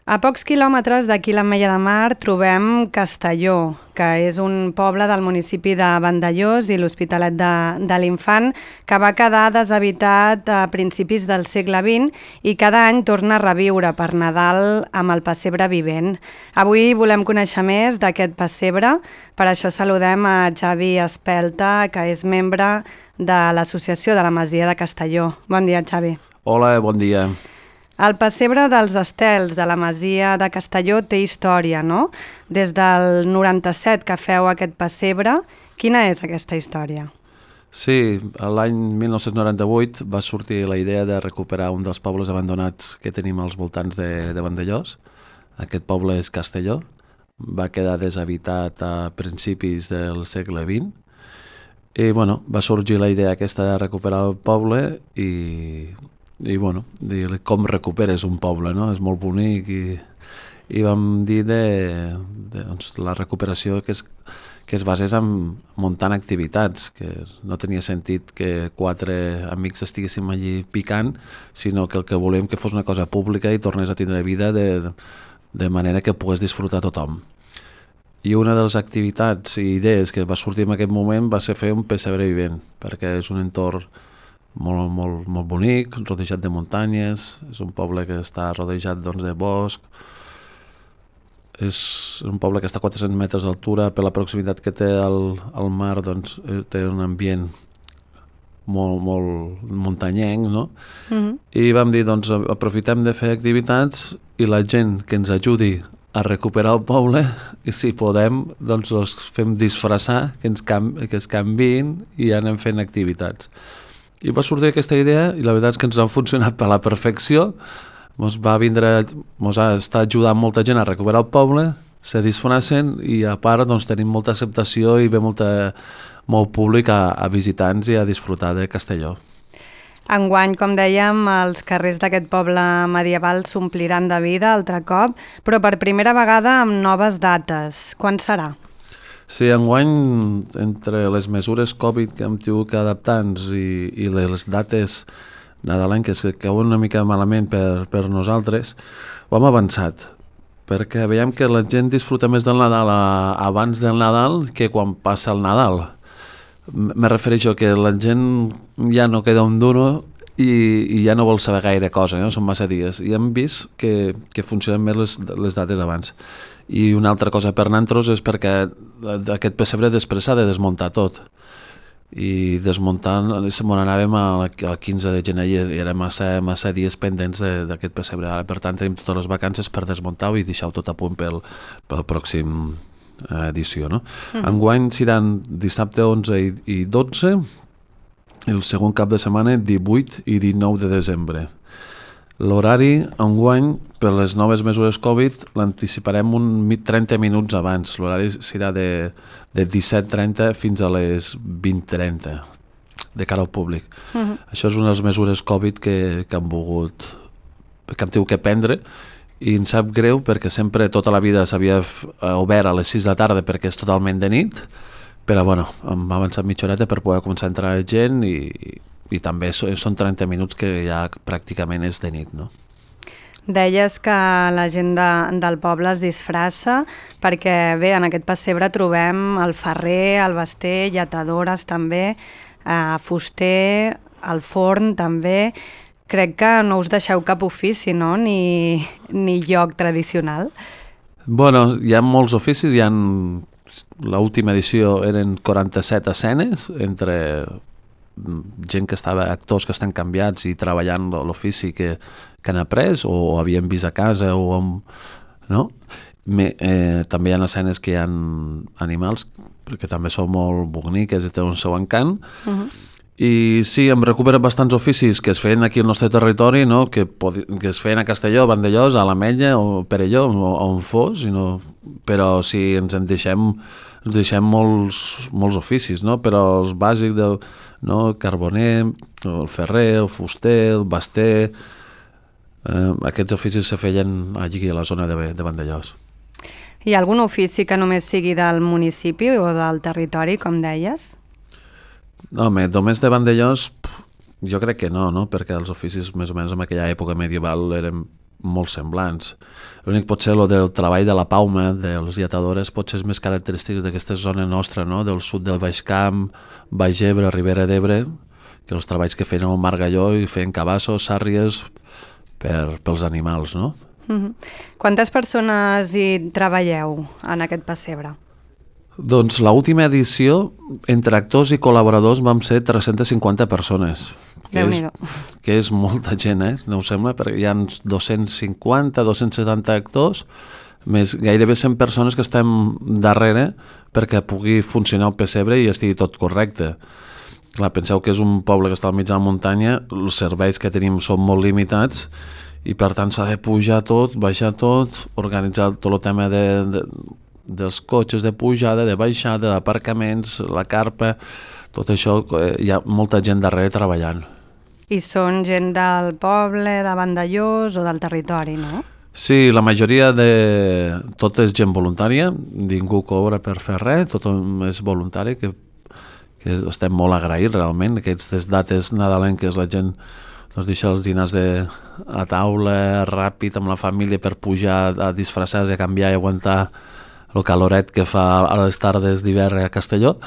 A pocs quilòmetres d'aquí l'Ametlla de Mar trobem Castelló, que és un poble del municipi de Vandellòs i l'Hospitalet de l'Infant, que va quedar deshabitat a principis del segle XX i cada any torna a reviure per Nadal amb el pessebre vivent. Avui volem conèixer més d'aquest pessebre, per això saludem a Xavi Espelta, que és membre de l'Associació de la Masia de Castelló. Bon dia, Xavi. Hola, bon dia. El pessebre dels Estels de la Masia de Castelló té història, no? Des del 97 que feu aquest pessebre, quina és aquesta història? Sí, l'any 1998 va sortir la idea de recuperar un dels pobles abandonats que tenim als voltants de Vandellòs. Aquest poble és Castelló, va quedar deshabitat a principis del segle XX i va sorgir la idea aquesta de recuperar el poble i com recuperes un poble, no? És molt bonic i vam dir doncs, la recuperació que es basés en muntant activitats, que no tenia sentit que 4 amics estiguéssim allí picant, sinó que el que volem que fos una cosa pública i tornés a tindre vida de manera que pogués disfrutar tothom. I una de les activitats i idees que va sortir en aquest moment va ser fer un pessebre vivent, perquè és un entorn molt bonic, rodejat de muntanyes, és un poble que està rodejat de bosc, és un poble que està a 400 metres d'altura, per la proximitat que té al mar, doncs té un ambient molt muntanyenc, no? I vam dir, doncs aprofitem de fer activitats i la gent que ens ajudi a recuperar el poble, i si podem, doncs els fem disfressar, que es canviïn i anem fent activitats. I va sortir aquesta idea i la veritat és que ens ha funcionat per la perfecció. Ens ha estat ajudant molta gent a recuperar el poble, se disfressen i a part doncs, tenim molta acceptació i ve molt públic a visitants i a disfrutar de Castelló. Enguany, com dèiem, els carrers d'aquest poble medieval s'ompliran de vida altre cop, però per primera vegada amb noves dates. Quan serà? Sí, enguany, entre les mesures Covid que hem tingut que adaptar-nos i les dates nadalenques que cauen una mica malament per nosaltres, ho hem avançat, perquè veiem que la gent disfruta més del Nadal abans del Nadal que quan passa el Nadal. Me refereixo que la gent ja no queda un duro i ja no vol saber gaire cosa, no? Són massa dies. I hem vist que funcionen més les dates abans. I una altra cosa per nosaltres és perquè aquest pessebre després s'ha de desmuntar tot. I desmuntant, se n'anàvem al 15 de gener i era massa dies pendents d'aquest pessebre. Ara, per tant, tenim totes les vacances per desmuntar-ho i deixar-ho tot a punt pel pròxim edició. No? Enguany seran dissabte 11 i 12, i el segon cap de setmana 18 i 19 de desembre. L'horari, enguany, per les noves mesures Covid, l'anticiparem 30 minuts abans. L'horari serà de 17:30 fins a les 20:30, de cara al públic. Això és una de les mesures Covid que hem tingut que prendre, i ens sap greu perquè sempre, tota la vida, s'havia obert a les 6 de la tarda perquè és totalment de nit, però hem avançat mitja horeta per poder començar a entrar gent i també són 30 minuts que ja pràcticament és de nit, no? Deies que la gent del poble es disfressa perquè, bé, en aquest pessebre trobem el ferrer, el baster, lletadores també, fuster, el forn també. Crec que no us deixeu cap ofici, no? Ni lloc tradicional. Hi ha molts oficis, l'última edició eren 47 escenes entre gent que estava, actors que estan canviats i treballant l'ofici que han après o havien vist a casa no? També hi ha escenes que hi ha animals perquè també són molt boniques i tenen un seu encant. I sí, hem recuperat bastants oficis que es feien aquí al nostre territori, no? que es feien a Castelló, a Vandellòs, a l'Ametlla o Perelló o on fos, però sí, ens deixem molts oficis, no? Però els bàsics del carboner, el ferrer, el fuster, el baster, aquests oficis se feien allí a la zona de Vandellòs. Hi ha algun ofici que només sigui del municipi o del territori, com deies? Home, només de Vandellòs jo crec que no, perquè els oficis més o menys en aquella època medieval eren molt semblants. L'únic potser el del treball de la pauma, dels lletadores, potser és més característic d'aquesta zona nostra, no? Del sud del Baix Camp, Baix Ebre, Ribera d'Ebre, que els treballs que feien al Margalló i feien cabassos, sàrries pels animals, no? Quantes persones hi treballeu en aquest pessebre? Doncs l'última edició, entre actors i col·laboradors, vam ser 350 persones, que és molta gent, no us sembla? Perquè hi ha 250, 270 actors, més gairebé 100 persones que estem darrere perquè pugui funcionar el pessebre i estigui tot correcte. Clar, penseu que és un poble que està al mig de la muntanya, els serveis que tenim són molt limitats i per tant s'ha de pujar tot, baixar tot, organitzar tot el tema dels cotxes de pujada, de baixada, d'aparcaments, la carpa, tot això, hi ha molta gent darrere treballant. I són gent del poble, de Vandellòs o del territori, no? Sí, la majoria de... Tot és gent voluntària, ningú cobra per fer res, tot és voluntari, que estem molt agraïts realment. Aquestes dates nadalenques la gent doncs, deixa els dinars a taula, ràpid, amb la família per pujar a disfressar-se, a canviar i aguantar el caloret que fa a les tardes d'hivern a Castelló.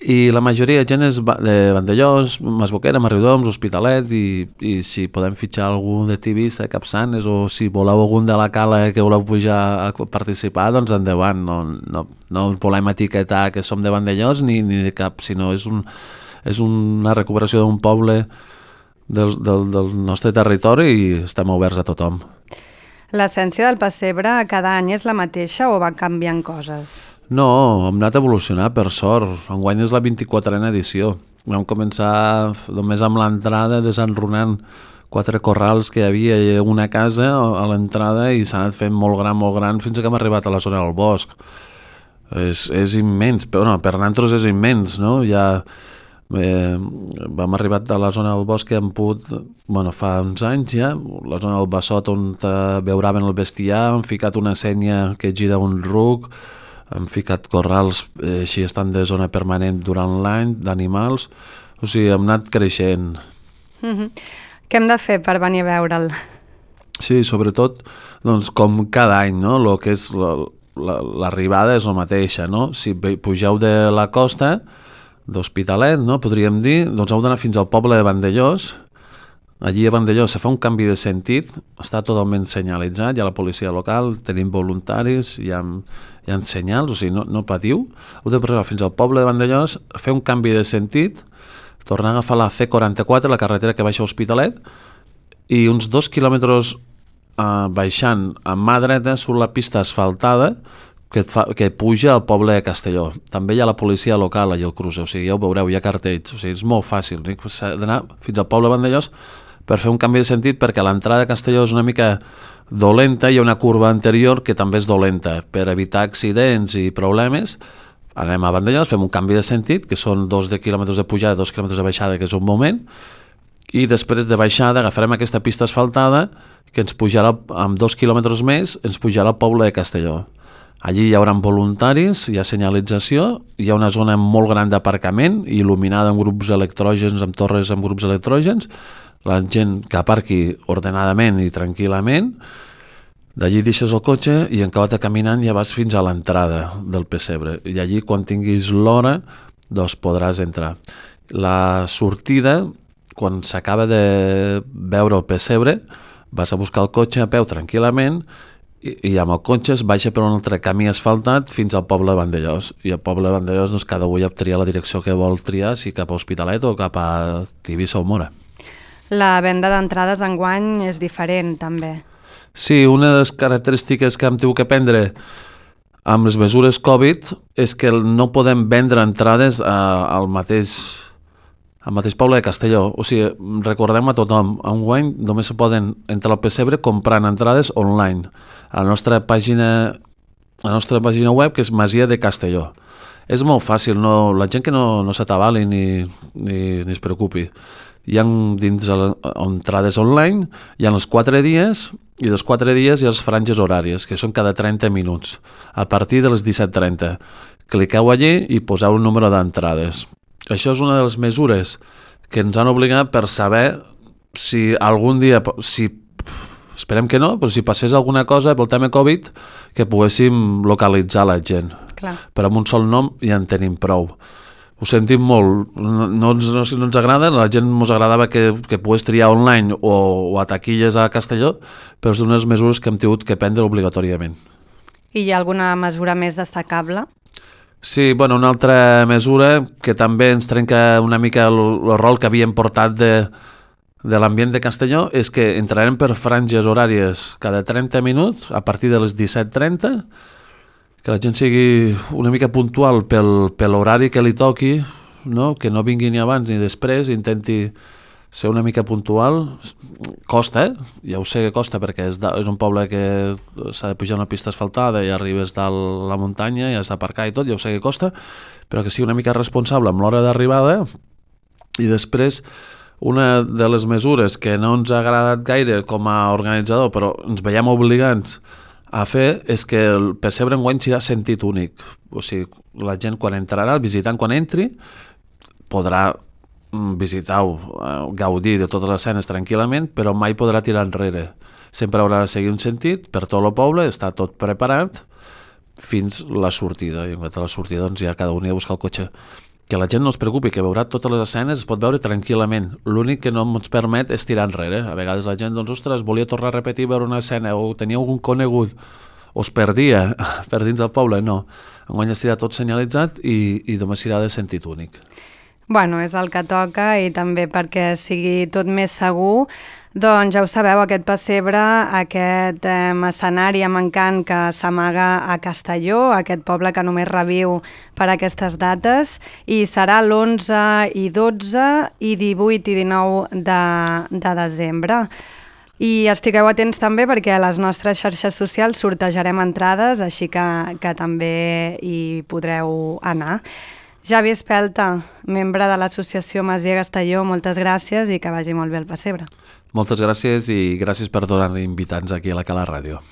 I la majoria de gent és de Vandellòs, Masboquera, Riudoms, Hospitalet, i si podem fitxar algú de Tivissa, Capçanes, o si voleu algun de la Cala que voleu pujar a participar, doncs endavant. No volem etiquetar que som de Vandellòs ni de cap, sinó és una recuperació d'un poble del nostre territori i estem oberts a tothom. L'essència del pessebre cada any és la mateixa o va canviant coses? No, hem anat evolucionant, per sort. Enguany és la 24a edició. Vam començar només amb l'entrada desenrunant 4 corrals que hi havia i una casa a l'entrada i s'ha anat fent molt gran fins que hem arribat a la zona del bosc. És immens, però per nosaltres és immens, no? Ja vam arribar a la zona del bosc que hem pogut, fa uns anys ja, la zona del Bassot on beuraven el bestiar, hem ficat una sènia que gira un ruc, hem ficat corrals, així estan de zona permanent durant l'any, d'animals, o sigui, hem anat creixent. Què hem de fer per venir a veure'l? Sí, sobretot, doncs, com cada any, no? Lo que és l'arribada és la mateixa, no? Si pugeu de la costa, d'Hospitalet, no? Podríem dir, doncs heu d'anar fins al poble de Vandellòs. Allí a Vandellòs se fa un canvi de sentit, està totalment senyalitzat, hi ha la policia local, tenim voluntaris, hi ha senyals, o sigui, no patiu. Heu de arribar fins al poble de Vandellòs, fer un canvi de sentit, tornar a agafar la C44, la carretera que baixa a Hospitalet, i uns 2 quilòmetres baixant a mà dreta surt la pista asfaltada que puja al poble de Castelló. També hi ha la policia local allà al cruce, o sigui, ja ho veureu, hi ha cartells, o sigui, és molt fàcil. S'ha d'anar fins al poble de Vandellòs per fer un canvi de sentit, perquè l'entrada de Castelló és una mica dolenta, hi ha una curva anterior que també és dolenta. Per evitar accidents i problemes, anem a Vandellòs, fem un canvi de sentit, que són 2 quilòmetres de pujada, 2 quilòmetres de baixada, que és un moment, i després de baixada agafarem aquesta pista asfaltada que ens pujarà, amb 2 quilòmetres més, ens pujarà al poble de Castelló. Allí hi haurà voluntaris, hi ha senyalització, hi ha una zona molt gran d'aparcament, il·luminada amb grups electrògens, amb torres amb grups electrògens, la gent que aparqui ordenadament i tranquil·lament, d'allí deixes el cotxe i en acabat caminant ja vas fins a l'entrada del pessebre, i allí quan tinguis l'hora doncs podràs entrar. La sortida, quan s'acaba de veure el pessebre, vas a buscar el cotxe a peu tranquil·lament i amb el cotxe es baixa per un altre camí asfaltat fins al poble de Vandellòs. I al poble de Vandellòs doncs, cada un ja tria la direcció que vol triar, si cap a Hospitalet o cap a Tivissa o Móra. La venda d'entrades enguany és diferent, també. Sí, una de les característiques que hem tingut que prendre amb les mesures Covid és que no podem vendre entrades al mateix poble de Castelló. O sigui, recordem a tothom, enguany només se poden entrar al pessebre comprant entrades online. A la nostra pàgina web, que és Masia de Castelló. És molt fàcil, la gent que no s'atabali ni es preocupi. Hi ha dins entrades online, hi ha els 4 dies, i dels 4 dies hi ha les franges horàries, que són cada 30 minuts, a partir de les 17:30. Cliqueu allí i poseu el número d'entrades. Això és una de les mesures que ens han obligat per saber si algun dia, si Esperem que no, però si passés alguna cosa pel tema Covid, que poguéssim localitzar la gent. Clar. Però amb un sol nom ja en tenim prou. Ho sentim molt, no ens agrada, la gent ens agradava que pogués triar online o a taquilles a Castelló, però és unes mesures que hem tingut que prendre obligatòriament. I hi ha alguna mesura més destacable? Sí, bueno, una altra mesura que també ens trenca una mica el rol que havíem portat de l'ambient de Castelló és que entrarem per franges horàries cada 30 minuts a partir de les 17:30, que la gent sigui una mica puntual per l'horari que li toqui, no? Que no vingui ni abans ni després, intenti ser una mica puntual. Costa, ja ho sé que costa perquè és un poble que s'ha de pujar una pista asfaltada i arribes dalt la muntanya i has d'aparcar i tot, ja ho sé que costa, però que sigui una mica responsable amb l'hora d'arribada. I després, una de les mesures que no ens ha agradat gaire com a organitzador, però ens veiem obligats a fer, és que el pessebre enguany serà sentit únic. O sigui, la gent quan entrarà, el visitant quan entri, podrà visitar-ho, gaudir de totes les escenes tranquil·lament, però mai podrà tirar enrere. Sempre haurà de seguir un sentit per tot el poble, està tot preparat fins la sortida. I en la sortida doncs ja cada un hi ha de buscar el cotxe. Que la gent no es preocupi, que veurà totes les escenes, es pot veure tranquil·lament. L'únic que no ens permet és tirar enrere. A vegades la gent, doncs, ostres, volia tornar a repetir veure una escena o tenia algun conegut o es perdia per dins del poble. No, enguany estarà tot senyalitzat i només serà de sentit únic. Bueno, és el que toca i també perquè sigui tot més segur. Doncs ja ho sabeu, aquest pessebre, aquest escenari amb encant que s'amaga a Castelló, aquest poble que només reviu per aquestes dates, i serà l'11 i 12 i 18 i 19 de desembre. I estigueu atents també perquè a les nostres xarxes socials sortejarem entrades, així que també hi podreu anar. Javi Espelta, membre de l'associació Masia Castelló, moltes gràcies i que vagi molt bé el pessebre. Moltes gràcies i gràcies per donar-nos invitats aquí a la Cala Ràdio.